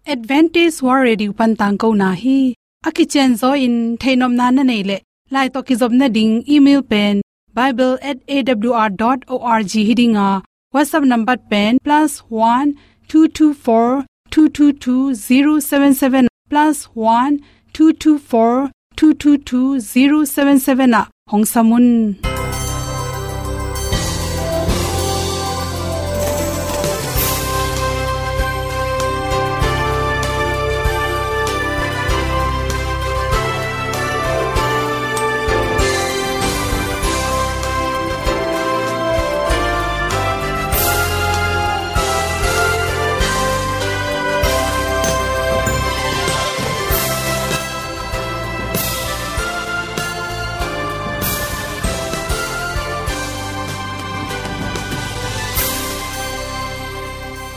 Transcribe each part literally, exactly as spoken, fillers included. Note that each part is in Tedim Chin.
Adventist World Radio pan tangkona hi. A kicianzaw in theihnopna na neih leh, lai tawh kizopna ding email pen bible at A W R dot org hi ding a, WhatsApp number pen plus one two two four two two two zero seven seven, plus one two two four two two two zero seven seven ah hong sam un.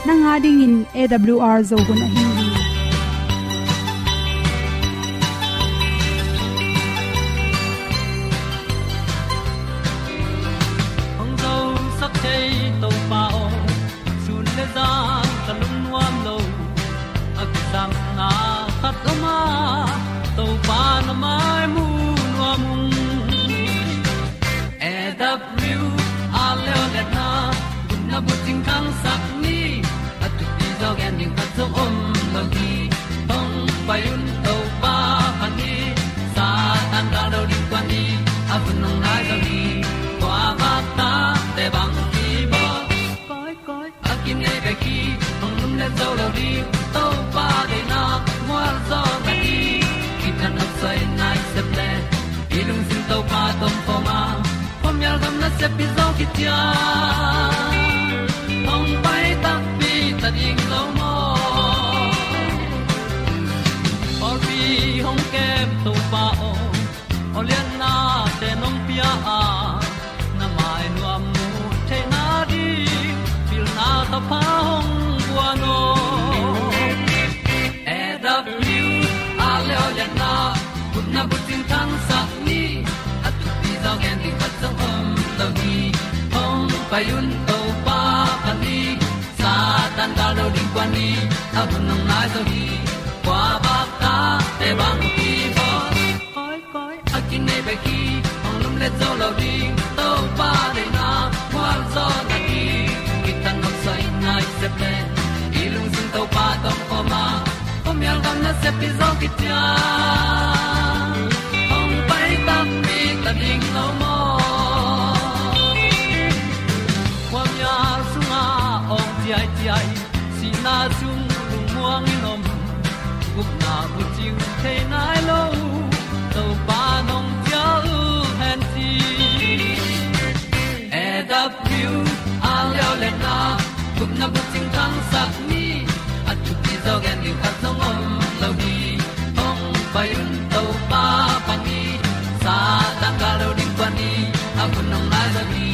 Nang a dingin A W R Zo hun ahi hi. Hong zosak thei Topa aw, sun le zan ka lungnuam lo. A kisapna khat om a, Topa na mai mu nuam ung. A W R leo le na, gupna bucing thangsak ni. A thupi zaw gen ding khat zong om lo hi. Hong pai un Topa pha ni. Satan gal do ding kua ni. A hun hong nai zaw hi. Kua bak ta te bang ki bawl. Koi, koi, a kinei bek hi, hong lum le zo lo ding, Topa deihna, mual zaw na ding, kithat nop soi nai sep le, i lungsim Topa tawh om khawm a, khuamial gam nasep hi zaw kician, hong pai takpi ta ding lo maw. Pawlpi hong kem Topa aw, aw liannate nong pia a, na mai nuam mu theihna ding, pilna thapha hong guan aw. A W R leo le na, gupna bucing thangsak ni. A thupi zaw gen ding khat zong om lo hi. Hong pai un Topa pha ni. Satan gal do ding kua ni. A hun hong nai zaw hi. Kua bak ta te bang ki bawl. Koi, koi, a kinei bek hi, hong lum le zo lo ding, Topa deihna, mual zaw na ding, kithat nop soi nai sep le, i lungsim Topa tawh om khawm a, khuamial gam nasep hi zaw kician, hong pai takpi ta ding lo maw. Khuamial sungah awng ciaiciai, sihna sung lungmuang in om, gupna bucing thei nai lo, Topa nong cial hen ci. A W R leo le na, gupna bucing thangsak ni. A thupi zaw gen ding khat zong om lo hi. Hong pai un Topa pha ni. Satan gal do ding kua ni. A hun hong nai zaw hi.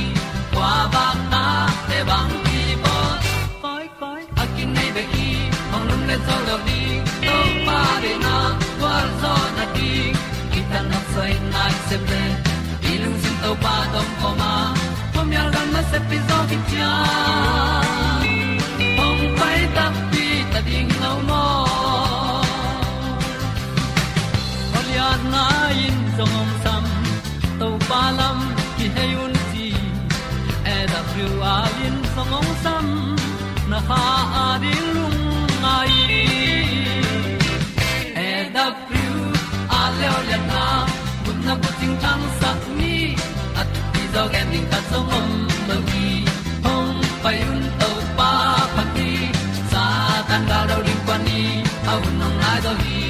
Kua bak ta te bang ki bawl. Koi, koi, a kinei bek hi, hong lum le zo lo ding, Topa deihna, gualzawhna ding, kithat nop soi nai sep le, i lungsim Topa tawh om khawm a, khuamial gam nasep hi zaw kician, hong pai takpi ta ding lo maw. Aw liatna in zong hong sam, Topa lam kihei un ci. A W R in zong hong sam, na kha a ding lungngai. A W R leo liatna, gupna bucing thangsak ni. A thupi zaw gen ding khat zong om lo hi. Hong pai un Topa pha ni. Satan gal do ding kua ni. A hun hong nai zaw hi.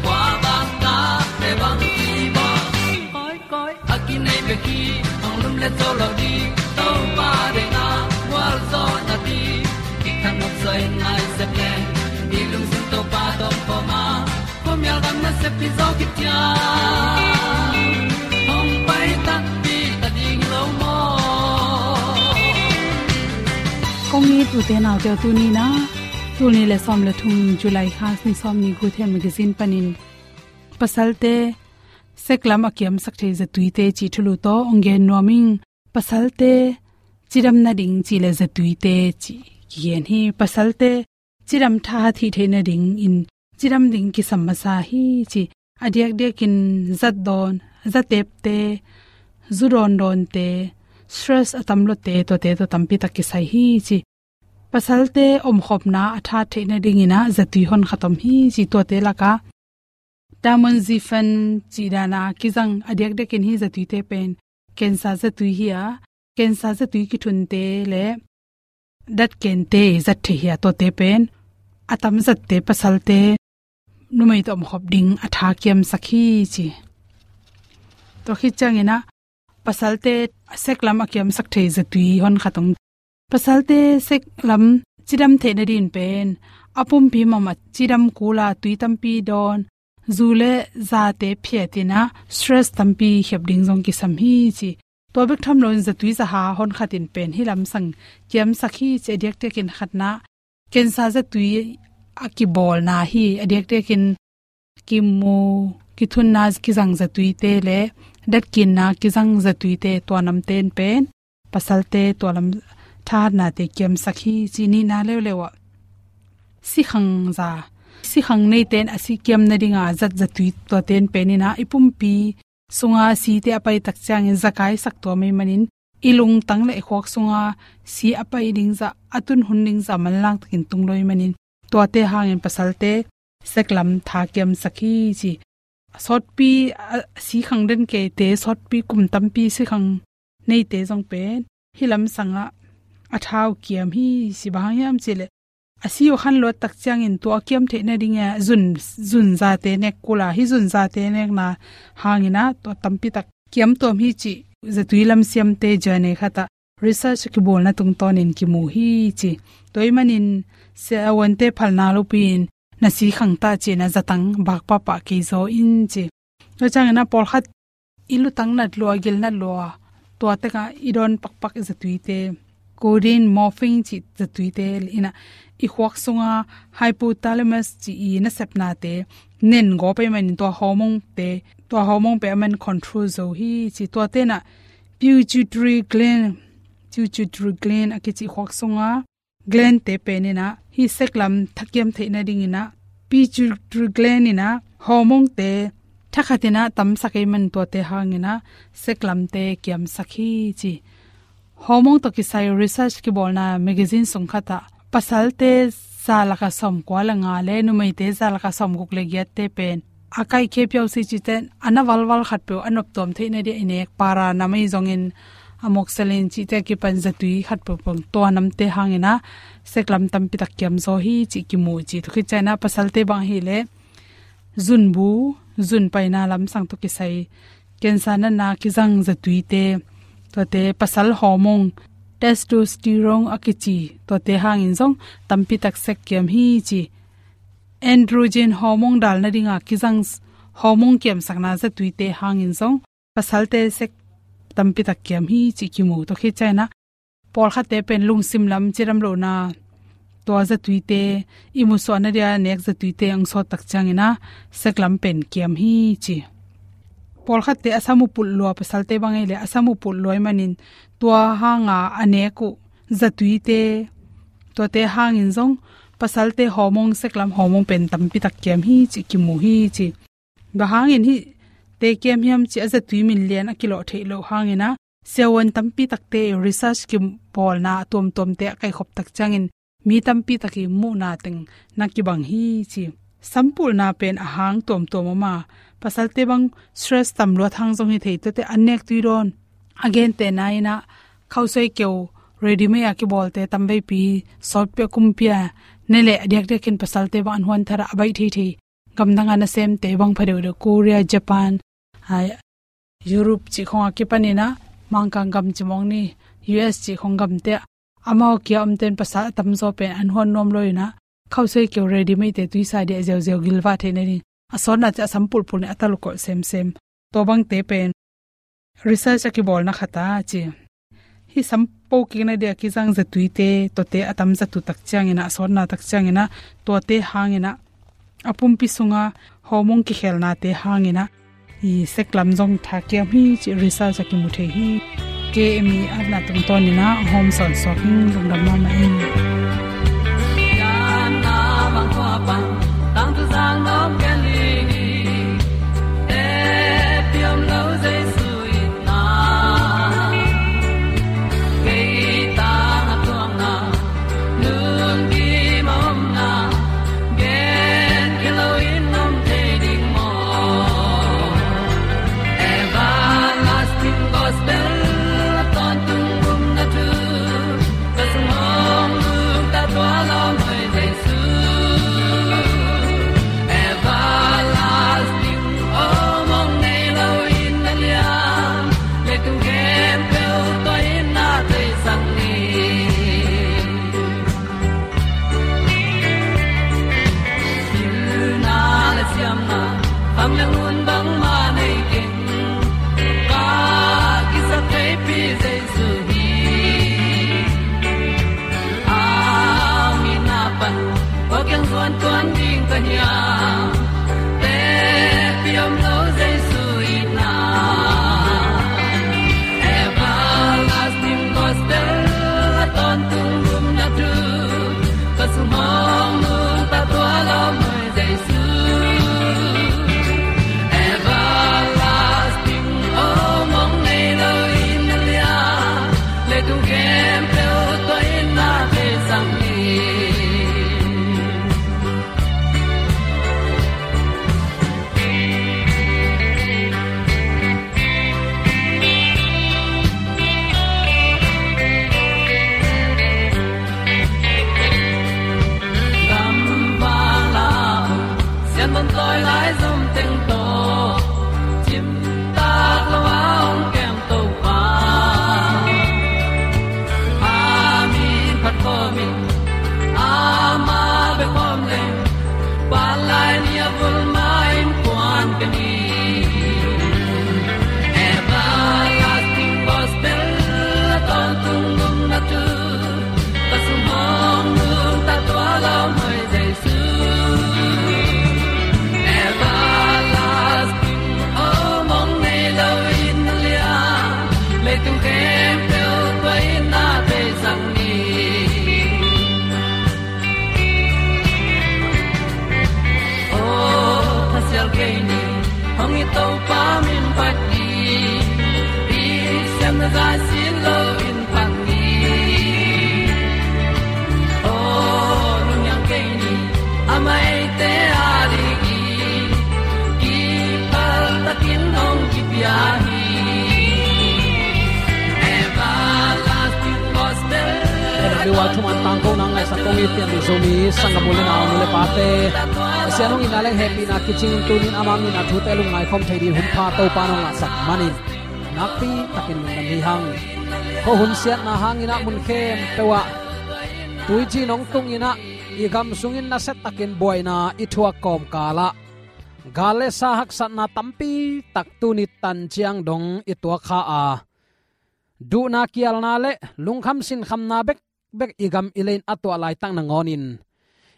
Kua bang ta te bang ki bawl. Koi, koi, a kinei bek hi, hong lum le zo lo ding, Topa deihna, gualzawhna ding, kithat nop soi nai sep le, i lungsim Topa tawh om khawm a, khuamial gam nasep hi zaw kician, hong pai takpi ta ding lo maw. Kong it ute naute aw, tuni-in ah, tul nih le sawm le thum July kha, ni sawm nih Guhtheng Magazine panin, pasalte sek lam a kiamsak thei zatuite cih thulu tawh hong gen nuam ing. Pasalte cidam nading cih le zatuite cih kigen hi. Pasalte cidam tha hih theih nadingin cidam ding kisam masa hi ci. A diakdiakin zat dawn, za tepte, zu dawndawnte, stress a tam lote, tuate tawh tampi tak kisai hi ci. Pasalte omkhopna a tha theih nadingin ah zatui honkhat om hi ci. Tuate lakah tamoxifen cih dan a kizang a diakdiakin hih zatuite pen cancer zatui hi a, cancer zatui kithunte le datkente zat theih hi a, tuate pen a tam zatte pasalte numei tawh omkhop ding a tha kiamsak hi ci. Tua khit ciangin ah pasalte sek lam a kiamsak thei zatui honkhat om. Pasalte sek lam cidam theih nadingin pen a pumpi mama cidam kul a, tui tampi dawn, zu le zate phiatin ah stress tampi khiap ding zong kisam hi ci. Tua bek tham loin zatui zaha honkhat in pen hih lamsang kiamsak hi ci. A diakdiakin khatna cancer zatui a kibawlna hi. A diakdiakin kimu, kithunna kizang zatuite le datkinna kizang zatuite, tua namte in pen pasalte tua lam thahatnate kiamsak hi ci. Nihna leuleu ah sikhang za, sikhang neite in a si kiam nadinga zat zatui, tuate in pen in ah i pumpi sunga site a pai tak ciangin zakaisak tua mei manin i lungtang le i khuak sunga si a pai ding zah, a tun hun ding zah manlang takin tung lo i manin, tuate hangin pasalte sek lam tha kiamsak hi ci. Sawtpi a sikhang den keite, sawtpi kum tampi sikhang neite zong pen hih lamsang ah a tha uh kiam hi ci. Bang hang hiam cih leh a si uh khan luat tak ciangin tua a kiam theih nading a zun, zun zate nek kul a, hih zun zate nekna hangin ah tua tampi tak kiam tuam hi cih zatui lam siamte journal khat ah research a kibawlna tungtawnin kimu hi ci. Tua i manin siavuante phalna lopi-in na sikhang ta ci-in ah zatang bak pahpah kei zaw in ci. Tua ciangin ah pawlkhat i lutang nat lua, gil nat lua, tua tengah i dawn pakpak i zatuite, codeine, morphine cih zatuite in ah i khuak sunga hypothalamus cih i nasepnate nen gawp ahih manin tua hormone-te, tua hormone pen a man control zo hi ci. Tuate in ah pituitary gland, pituitary gland a kici khuak sunga gland-te pen in ah hih sek lam tha kiam theih nadingin ah pituitary gland in ah hormone-te thakhat in ah tamsak ahih man tuate hangin ah sek lamte kiamsak hi ci. Hormone tawh kisai research kibawlna magazine sung khat ah pasalte za laka sawmkua le nga le numeite za laka sawmguk le giatte pen a kaihkhia piau si cihte a na valval khatpeuh a noptuam theih nadia i nek para nam ahi zongin amoxicillin cihte a kipan zatui khatpeuh peuh tua namte hangin ah sek lam tampi tak kiam zaw hi cih kimu ci. Tua khit ciangin ah pasalte bang ahih leh zunbu, zun paina lamsang tawh kisai cancer natna kizang zatuite, tuate pasal hormone, testosterone a kici, tuate hangin zong tampi tak sek kiam hi ci. Androgen hormone dal nadinga kizang s-, hormone kiamsakna zatuite hangin zong pasalte sek tampi tak kiam hi ci kimu. Tua khit ciangin ah pawlkhatte pen lungsim lam cidam lohna, tua zatuite, i musuahna dia nek zatuite ang sawt tak ciangin ah sek lam pen kiam hi ci. Pawlkhatte a sam uh pulh lua, pasalte bang ahih leh a sam uh pulh lua ahih manin tua hanga a nek uh zatuite, tuate hangin zong pasalte hormone, sek lam hormone pen tampi tak kiam hi ci kimu hi ci. Bang hangin hihte kiam hiam cih a zatui min lian a kilawh theih loh hangin ah siavuan tampi takte research kibawlna a tuamtuamte a kaihkhop tak ciangin mi tampi tak i muhna teng na kibang hi ci. Sampulna pen a hang tuamtuam om a, pasalte bang stress tam luat hang zong hi thei, tuate an nek tui dawn. A gentehna in ah khausuai keu ready-made a kibawlte tamveipi sawtpi a kumpi a ne leh a diakdiakin pasalte bang an huan thar a, a baih theithei gamdang a nasemte bang pha deuhdeuh, Korea, Japan, a, Europe cih khong a kipan in ah Mangkang gam ci mawk ni, U S cih khong gamte ah amau kia omten pasal a tamzaw pen an huan nuam lo in ah khausuai keu ready-made-te tuisa dia ziauziau gilvah theih nading a sawtnate a sam pulpul in a talukawlh semsem. Tua bangte pen research a kibawlna khat a ci. Hih sam po kikna dia kizang zatuite, tuate a tam zat uh tak ciangin ah, a sawtna tak ciangin ah, tuate hangin ah a pumpi sunga hormone kikhelnate hangin ah i sek lam zong tha kiam hi ci research a kimu thei hi. Kei mi atna tungtawnin ah hawm sawnsuak in, lungdam mahmah in. Lemon tawi lai zom teng tawh cimtak lo a hong kem Topa, a min phat khawm in, amah bek khawm leng, vanlai ni a vul mah in kuan ka ni. Everlasting Gospel a tawntung nopna thu, ka sung hong nungta tua lau mai Jesu. Everlasting, oh, mong nei lo in lian, leitung khempeuh tua in na beisak ni. Oh, thasial kei ni, hong i Topa min phat ni, i siamna zai sin lo in phat ni. Oh, lungniang kei ni, a maite a ding i, kipal takin hong kipia hi. Everlasting Gospel. Ena liwa thuman tangko nang ngaihsak kong it pian dih Zomi sanggam u le nau, nu le pate. Pasian hong itna leng hehpihna kicing in tunin ama min a thute lungngai khawm thei dih hun pha Topa nong ngahsak manin nakpi takin lungdam hi hang. Khuahun siatna hangin ah mun khempeuh ah tuici nong tung in ah i gam sungin nasia takin buaina i thuak kawmkal ah gal le sa haksatna tampi tak tuni tan ciang dong i tuak kha a, duhna kialna le lungkham sinkhamna bekbek i gam i lei in a tuah laitak nangawnin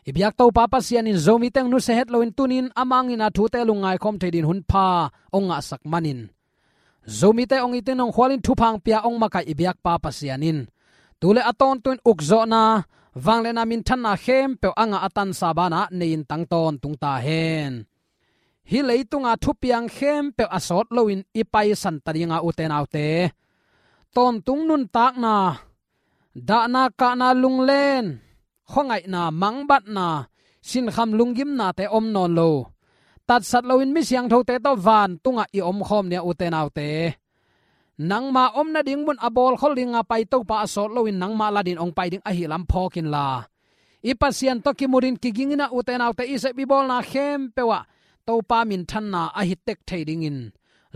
i biak Topa Pasian in Zomite hong nusia het loin tunin ama min a thute lungngai khawm thei dih hun pha hong ngahsak manin Zomite hong itin hong khualin thupha hong pia hong makaih i biakpa Pasian in tu le a tawntung in ukzawhna, vangliatna, minthanna khempeuh a ngah a tansa banah nei in tang tawntung ta hen. Hih leitunga thupiang khempeuh a sawt loin i paisan ta dinga, ute naute, tawntung nuntakna, dahna kahna, lunglen khuangaihna, mangbatna, sinkham lunggimnate om nawn lo, tatsat loin mi siangthote tawh vantungah i omkhawm ni a, ute naute. Nangma om nading mun a bawlkhol dinga pai Topa a sawt loin nangmah ladin hong pai ding ahi lam phawk inla, i Pasian tawh kimutin kigingin ah, ute naute, i sep i bawlna khempeuh ah Topa minthanna ahi tek thei dingin,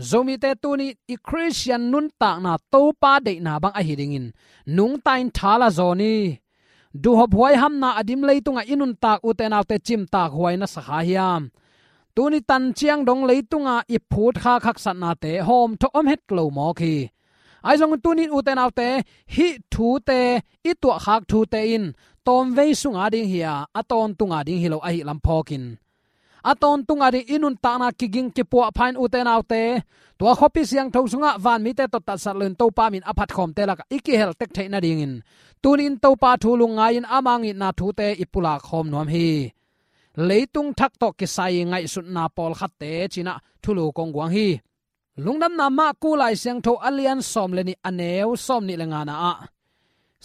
Zomite tuni i Khristian nuntakna Topa deihna bang ahi dingin nungta in tha la zawn hi. Duhhop huaihamna a dim leitungah i nuntak, ute naute, cimtak huai na sa kha hiam? Tuni tan ciang dong leitunga i phutkhak haksatnate hawmthawh om het lo mawk hi. Ahi zongin tunin, ute naute, hih thute, i tuahkhak thute in tawmvei sunga ding hi a, a tawntunga ding hi lo ahi lam phawkin, a tawntunga ding i nuntakna kiging kipuahpha in, ute naute, tua khuapi siangtho sungah vanmite tawh tatsat loin Topa min a phatkhawmte lakah i kihel tek theih nadingin tunin Topa thu lungngai-in ama ngitna thute i pulak khawm nuam hi. Leitung thak tawh kisai ngaihsutna pawlkhatte ci-in ah thulu kong guang hi. Lungdamna Marku Lai Siangtho a lian sawm le nih, a neu sawmnih le ngana ah,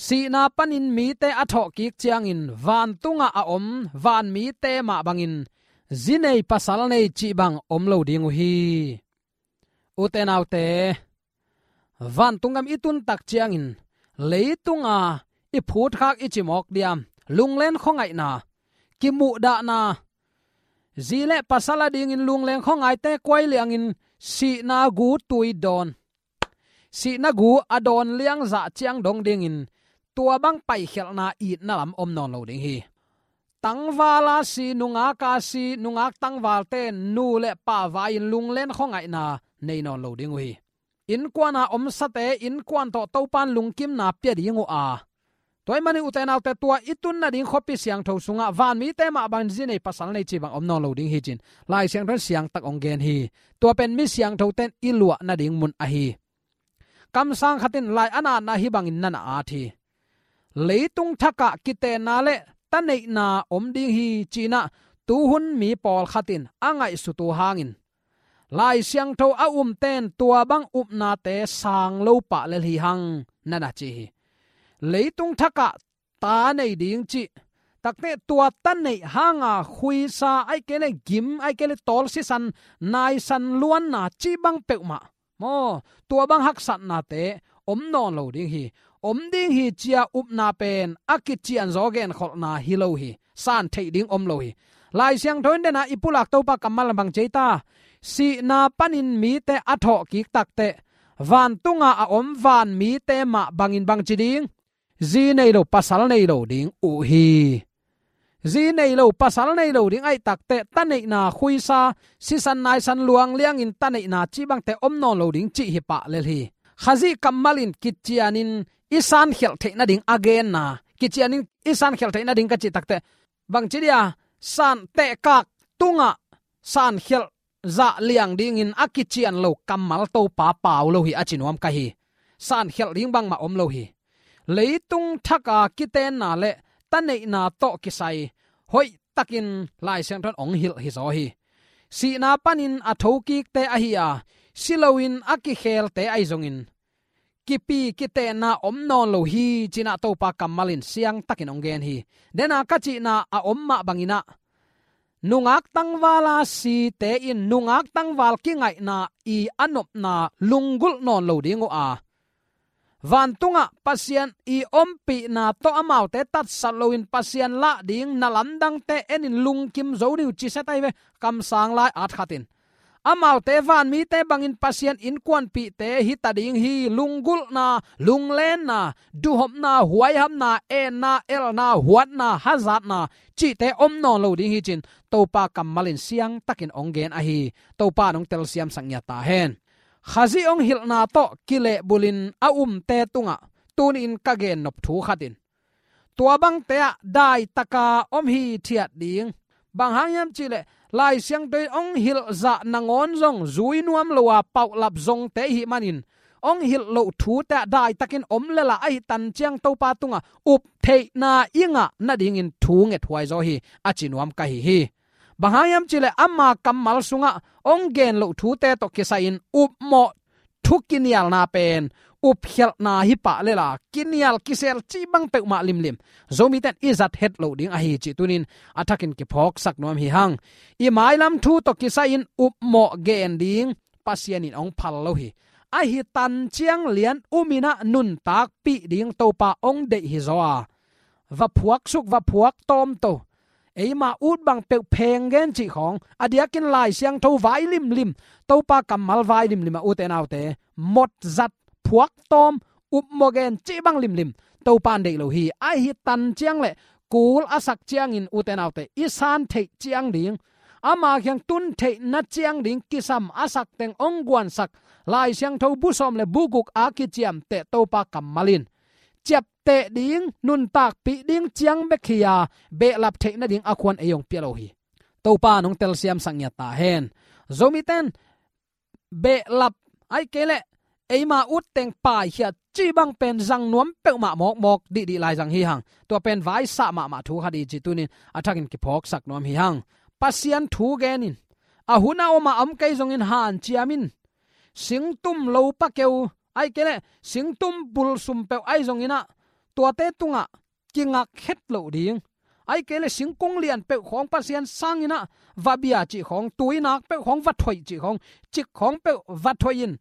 sihna panin mite a thawhkik ciangin vantungah a om vanmite mah bangin zi nei pasal nei cih bang om lo ding uh hi. Ute naute, vantung gam i tun tak ciangin leitunga i phutkhak i ci mawk diam? Lunglen khuangaihna, kimuhdahna, zi le pasal adingin lunglen khuangaihte kuai liangin sihna gu tui dawn, sihna gu a dawn liangzah ciang dong dingin tua bang paikhialhna itna lam om nawn lo ding hi. Tangval a si, nungak a si, nungak tangvalte nu le pa vai-in lunglen khuangaihna nei nawn lo ding uh hi. Innkuan a omsate innkuan tawh Topan lungkimna pia ding uh a, tua ahih manin, ute naute, tua i tun nading khuapi siangtho sungah vanmite mah bangin zi nei pasal nei cih bang om nawn lo ding hi ci-in Lai Siangtho in siangtak hong gen hi. Tua pen mi siangthote in i luah nading mun ahi. Kamsang khat in lai a na atna hih bangin na na at hi. Leitung thakah kitenna le taneihna om ding hi ci-in ah tuhun mi pawlkhat in a ngaihsut uh hangin, Lai Siangtho a umte in tua bang upnate sang lo pah lel hi hang, na na ci hi. Leitung thakah ta nei ding cih takte, tua ta neih hanga khuisa, ahih kei leh gim, ahih kei leh tawl sisan, naisan luanna cih bang peuhmah maw, tua bang haksatnate om nawn lo ding hi. Om ding hi ci-a upna pen a kicianzaw genkholhna hi lo hi. San theih ding om lo hi. Lai Siangtho in dena i pulak Topa kammal bang ci ei ta? Sihna panin mite a thawhkik takteh, vantunga a om van mite mah bangin bang ci ding? Zi nei lo, pasal nei lo ding uh hi. Zi nei lo, pasal nei lo ding ahih takteh, ta neihna khuisa, sisan naisan luang liangin ta neihna cih bangte om nawn lo ding cih hi pah lel hi. Khazih kammal in kicianin i sankhialh theih nading a genna, kicianin i sankhialh theih nading ka cih takteh, bang ci dia, san tehkak tungah sankhialh zah liang dingin a kician lo kammal Topa pau lo hi a ci nuam ka hi. Sankhialh ding bangmah om lo hi. Leitung thaka kitenna le ta neihna tawh kisai hoihtakin Lai Siangtho in hong hilh hi zaw hi. Sihna panin a thokikte ahi a, si loin a kikhelte ahi zongin, kipi kitenna om nawn lo hi, ci-in ah Topa kammal in siangtakin hong gen hi. Dena ka cihna a om mah bangin ah, nungak tangvala site in nungak tangval kingaihna i a nopna lunggulh nawn lo ding uh a, vantungah Pasian i ompihna tawh amaute tatsat loin Pasian lah ding na lamdangte enin lungkim zo ding uh ci sia ta hi ve. Kamsang lai at khat in, amaute vanmite bangin Pasian innkuanpihte hi ta ding hi. Lunggulhna, lunglenna, duhhopna, huaihapna, enna, elna, huatna, hazatna cihte om nawn lo ding hi, ci-in Topa kammal in siangtakin hong gen ahi. Topa in hong telsiamsak ngiat ta hen. Khazih hong hilhna tawh kilehbulhin a umte tungah tuni-in ka gennop thu khat in, tua bangte ah daitaka om hithiat ding. Bang hang hiam cih leh, Lai Siangtho in hong hilhzah nangawn zong zui nuam lo a, paulap zongte i hih manin, hong hilh loh thute ah daitakin om lel a, ahi tan ciang Topa tungah up theihna i ngah nadingin thu ngethuai zaw hi, a ci nuam ka hi hi. Bang hang hiam cih leh, ama kammal sungah hong gen loh thute tawh kisai-in upmawh thu kinialna pen upkhialhna hi pah lel a, kinial kisel cih bang peuhmah limlim Zomite in i zat het loh ding ahi cih tuni-in a thakin kiphawksak nuam hi hang. I mailam thu tawh kisai-in upmawh gen ding Pasian in hong phal lo hi. Ahi tan ciang lian um-in ah nuntakpih ding Topa hong deih hi zaw a, va phuaksuk, va phuaktawm to. Eima ut bang peuh pheng gen cih khawng, a diakin Lai Siangtho vai limlim, Topa kammal vai limlim a, ute naute, mawtzat, phuaktawm, upmawh gen cih bang limlim Topa in deih lo hi. Ahi tan ciang le kul a sak ciangin, ute naute, i san theih ciang ding, ama kiang tun theihna ciang ding kisam a sak teng hong guansak Lai Siangtho bu sawm le bu guk a kiciamteh Topa kammal in ciapteh ding, nuntakpih ding ciang bek hi a, behlap theih nading a khuan ei hong pia lo hi. Topa in hong telsiamsak ngiat ta hen. Zomite in behlap, ahih kei leh eima ut teng paikhia cih bang pen zang nuam peuhmah mawkmawk dihdih lai zang hi hang. Tua pen vaisah mahmah thu khat hi cih tuni-in a thakin kiphawksak nuam hi hang. Pasian thu gen in, a hun a om a om kei zongin hanciam in, singtum lopa keu, ahih kei leh singtum bul sum peuh ahi zongin ah, tuate tungah kingak het loh ding. Ahih kei leh singkung lian peuh khawng Pasian sangin ah va bia cih khawng, tuinak peuh khawng va thoih cih khawng, cik khawng peuh va thoih in,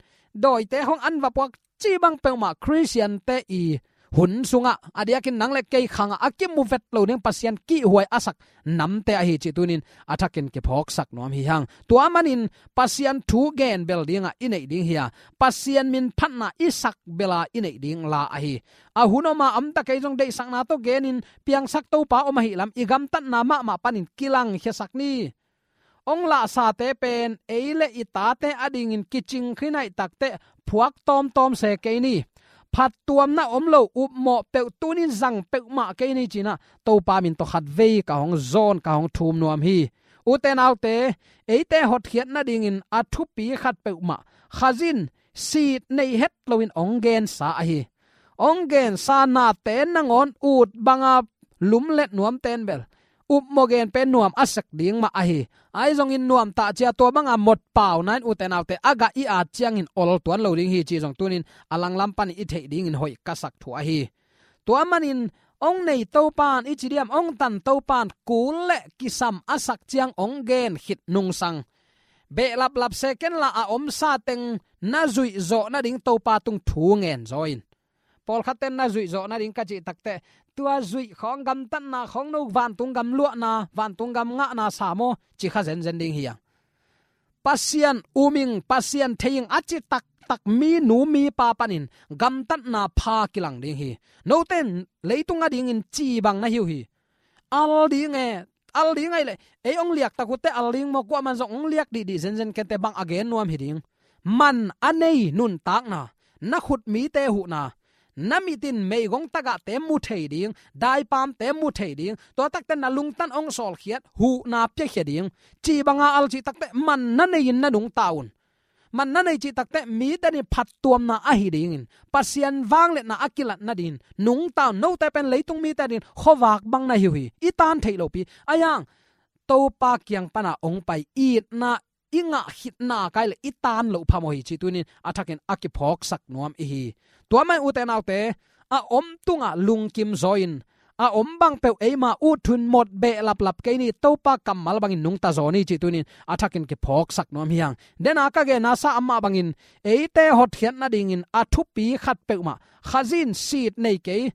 dawite khawng an va puak cih bang peuhmah Khristiante i hun sungah, a diakin nang le kei khangah a kimu vet lo ding Pasian kihhuai a sak namte ahi cih tuni-in a thakin kiphawksak nuam hi hang. Tua manin Pasian thu gen bel dingah i neih ding hi a, Pasian min phatna i sak bela i neih ding la ahi. A hun om a om ta kei zong deihsakna tawh genin piangsak Topa om ahih lam i gamtatna mahmah panin kilangkhiasak ni. Hong lahsate pen ei le i tate adingin kicing khin ahih takteh phuak tawmtawm se kei ni. Phattuamna om lo, upmawh peuh tuni-in zang peuhmah kei ni, ci-in ah Topa min tawh khatvei ka hong zawn, ka hong thum nuam hi. Ute naute, eite hotkhiat nadingin a thupi khat peuhmah Khazih in sit nei het loin hong gensa ahi. Hong gensa nate nangawn ut banga lumlet nuamte in bel upmawh gen pen nuam a sek ding mah ahi. Ahi zongin nuamtah cia tua banga mawtpauna in, ute naute, a gah i at ciangin ol tuan lo ding hi cih zong tuni-in a langlam panin i theih dingin hoih ka sak thu ahi. Tua manin hong nei Topa in, i ci diam, hong tan Topa in kul le kisam a sak ciang hong gen khit nungsang, behlaplap se kenla a omsa teng na zuih zawh nading Topa tung thu ngen zaw in. Pawlkhatte in na zuih zawh nading ka cih takteh, tua zuih khawng, gamtatna khawng, no vantung gam luahna, vantung gam ngahna sa maw, ci kha zenzen ding hi hang. Pasian um ing, Pasian thei ing a ci taktak minu mipa panin gamtatna pha kilang ding hi. Note in leitung adingin ci bang na hi uh hi. Al ding e, al ding ahih leh ei hong liak tak uh teh al ding maw, kuaman zong hong liak dihdih zenzen kei teh bang a gen nuam hi ding. Man a nei nuntakna, na khut mite huhna, na mit in meigong tagahte mu thei ding, daipamte mu thei ding, tua tak teh na lungtang hong sawlkhiat huhna piakhia ding. Ci banga al cih tak teh man na nei in na nungta un. Man na nei cih tak teh mite nih phattuamna ahi dingin, Pasian vangliatna a kilat nadingin nungta un. Note pen leitung mite adingin khuavak bang na hi uh hi. I tan theih lopi. Ahi hang Topa kiang pana hong pai itna i ngah khitna kai leh i tan loh phamawh hi cih tuni-in a thakin a kiphawksak nuam i hi. Tua mah in ute naute, a om tungah lungkim zaw in, a om bang peuh eima ut thu-in mawk behlaplap kei ni, Topa kammal bangin nungta zaw ni cih tuni-in a thakin kiphawksak nuam hi hang. Dena ka genna sa amah bangin eite hotkhiat nadingin a thupi khat peuhmah, Khazih in sit nei kei.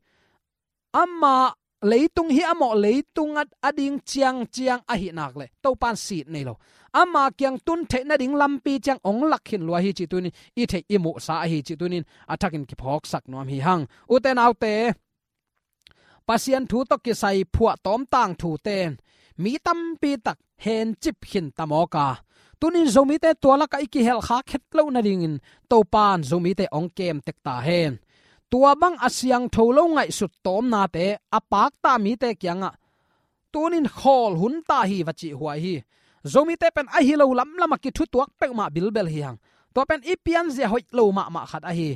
Amah leitung hi a mawh, leitung a, a ding ciangciang ahih nak leh Topa in sit nei lo. Ama kiang tun theih nading lampi ciang hong lak khin lua hi cih tuni-in i theih i muhsa ahi cih tuni-in a thakin kiphawksak nuam hi hang. Ute naute, Pasian thu tawh kisai phuahtawm tangthute in mi tampi tak hencip khin ta mawk a, tuni-in Zomite tua lakah i kihelkhak het loh nadingin Topa in Zomite hong kem tek ta hen. Tua bang a siangtho lo ngaihsut tawmnate a pakta mite kiangah tuni-in khawl hun ta hi va cih huai hi. Zomite pen ahi lo lamlam a kithutuak peuhmah bilbel hi hang. Tua pen i pianzia hoih lo mahmah khat ahi.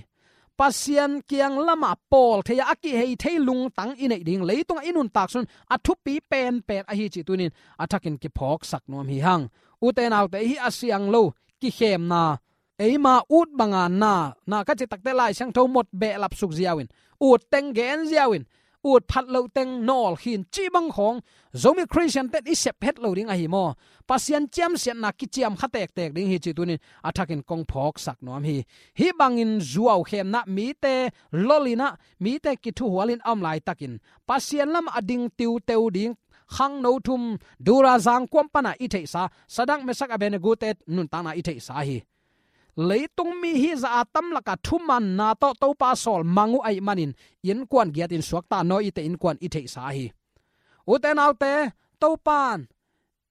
Pasian kiang lamah pawl thei a, a kihei thei lungtang i neih ding, leitungah i nuntak sung a thupi penpen ahi cih tuni-in a thakin kiphawksak nuam hi hang. Ute naute, hih a siang lo kikhemna, eima ut banga na, na ka cih tak teh Lai Siangtho mawk behlap suk ziau in, ut teng gen ziau in, ut phat loh teng nawl khin cih bang khawng Zomi Khristiante in i sep het lo ding ahi maw? Pasian ciamsiatna kiciam kha tektek ding hi cih tuni-in a thakin kong phawksak nuam hi. Hih bangin zuaukhemna, mite lolh in ah, mite kithuhual in a om laitakin Pasian lamah a ding tiuteu ding khangno thum, Dura zangkuam pana i theihsa Sadrak, Mesak, Abednego-te nuntakna i theihsa hi. Leitung mi hih zah a tam lakah thumanna tawh Topa sawl mang uh ahih manin innkuan giatin suakta Noah-te innkuan i theihsa hi. Ute naute, Topa in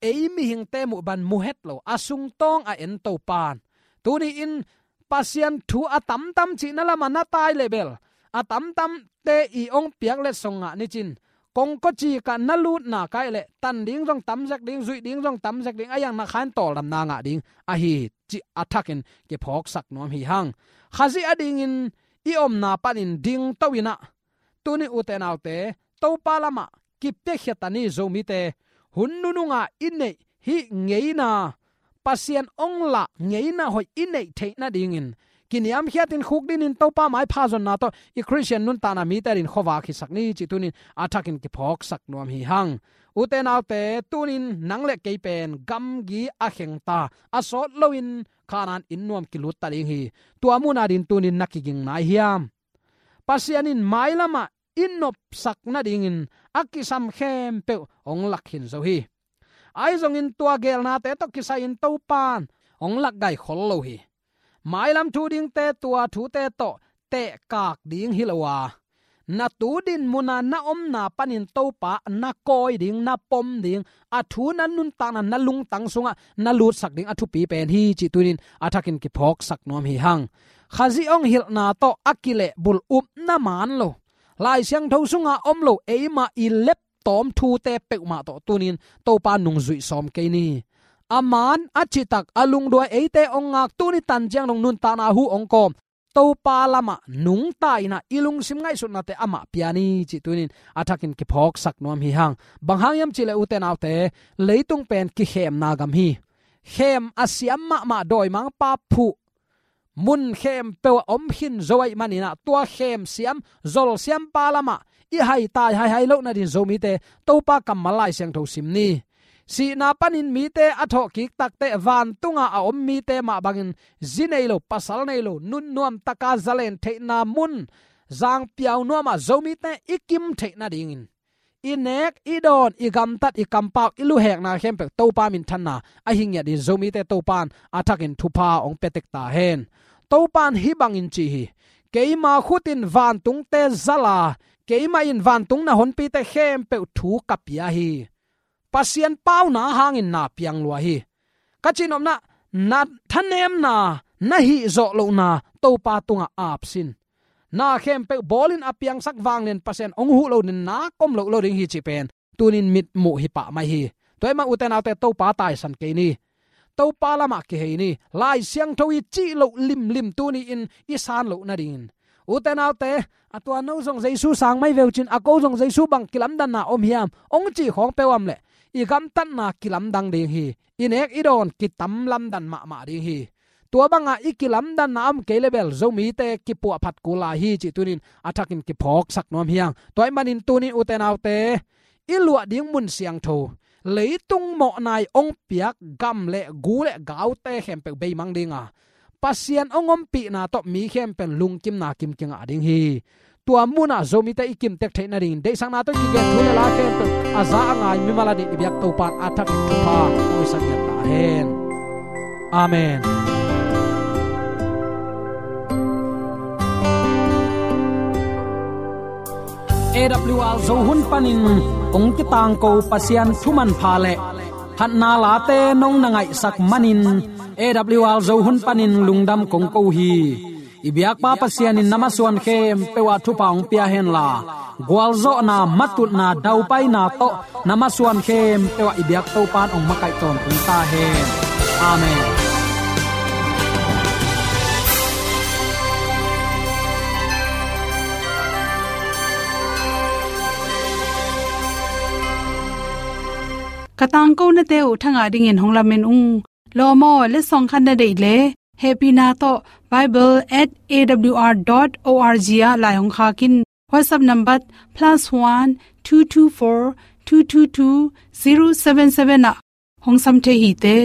ei mihingte muh bang mu het lo, a sungtawng a en Topa in. Tuni-in Pasian thu a tamtam cihna lamah na tai leh bel, a tamtamte i hong piak letsong ngah ni cin, kongkawcik ah na lutna kai leh tan ding zong tam zek ding, zuih ding zong tam zek ding, a iang na khain tawldamna ngah ding ahi cih a thakin kiphawksak nuam hi hang. Khazih adingin i omna panin dingto in ah, tuni ute naute, Topa lamah kipiakhia ta ni Zomite. Hun nununga i neih hih ngeina, Pasian hong lah ngeina hoih i neih theih nadingin kiniamkhiatin khukdinin Topa maipha zonna tawh i Khristian nuntakna mite adingin khuavak hisak ni cih tuni-in a thakin kiphawksak nuam hi hang. Ute naute, tuni-in nang le kei pen gamgi a khengta, a sawt loin Kanaan inn nuam kilut ta ding hi. Tua mun adingin tuni-in na kiging nai hiam? Pasian in mailamah i nopsak nadingin a kisam khempeuh hong lak khin zo hi. Ahi zongin tua geelnate tawh kisai-in Topa in hong lak gai khol lo hi. Mailam thu dingte, tua thute tawh tehkak ding hi lo a, na tu din muna na omna panin Topa na kawi ding, na pom ding, a thu na nuntakna, na lungtang sungah na lutsak ding a thupi pen hi cih tuni-in a thakin kiphawksak nuam hi hang. Khazih hong hilhna tawh a kilehbulh upna man lo, Lai Siangtho sunga om lo eima i leptawm thute peuhmah tawh tuni-in Topa nungzuih sawm kei ni. A man a citak, a lungduai, eite hong ngak, tuni tan ciang dong nuntakna huh hong kawm Topa lamah nungta in ah i lungsim ngaihsutnate amah pia ni cih tuni-in a thakin kiphawksak nuam hi hang. Bang hang hiam cih leh ute naute, leitung pen kikhemna gam hi. Khem a siam mahmah, dawimangpa phuh, mun khempeuh ah om khin zo ahih manin ah, tua khem siam, zol siampa lamah i haitai haihai loh nadingin Zomite Topa kammal Lai Siangtho sim ni. Sihna panin mite a thawhkik tak teh vantunga a om mite mah bangin zi nei lo, pasal nei lo, nunnuam taka zalen theihna mun, zangpiau nuamah Zomite i kim theih nadingin, i nek, i dawn, i gamtat, i kampau, i luhekna khempeuh Topa minthanna ahi ngiat in Zomite Topa in a thakin thupha hong pia tek ta hen. Topa in hih bangin ci hi: Keima khut in vantungte zal a, keima in vantung na honpite khempeuh thu ka pia hi. Pasian pauna hangin na piang lua hi. Ka cihnopna, na thanemna, na hihzawh lohna Topa tungah ap sin. Na khempeuh bawlin a piangsak vanglian Pasian hong huh loin na kom loh lo ding hi cih pen tunin mitmuh hi pah mai hi. Tua ahih manin ute naute, Topa taisan kei ni. Topa lamah kihei ni. Lai Siangtho i cih loh limlim tuni-in i san loh nadingin, ute naute, a tua no zong Jesu sang mai ve uh cin, a ko zong Jesu bang kilamdanna om hiam, hong cih khawng peuh om leh i gamtatna kilamdang ding hi. I nek i dawn kitam lamdan mahmah ding hi. Tua banga i kilamdanna om kei leh bel Zomite kipuahphat kul lai hi cih tunin a thakin kiphawksak nuam hi hang. Tua ahih manin tunin ute naute, i luah ding mun siangtho, leitung mawhna i hong piak gam le gu le gaute khempeuh beimang ding a, Pasian hong ompihna tawh mi khempeuh lungkimna kim kingah ding hi. Tua munah Zomite i kimtek theih nadingin deihsakna tawh kigen thu le la khempeuh a za a ngai mimal adingin i biak Topa in a thakin thupha hong hisak ngiat ta hen. Amen. A W R Zo hun panin hong kitangko Pasian thu manpha le phatna late nong na ngaihsak manin A W R Zo hun panin lungdam kong ko hi. I biakpa Pasian in na masuan khempeuh ah thupha hong pia henla, gualzawhna, matutna, daupaina tawh na masuan khempeuh ah i biak Topa in hong makaih tawntung ta hen. Amen. Ka tangkonate uh thangah dingin hong lamen ung. Lawm aw, letsong khat na deih leh hehpihna tawh bible at A W R dot O R G ah lai hong khak in. WhatsApp number plus one two two four two two two zero seven seven ah hong sam thei hi te.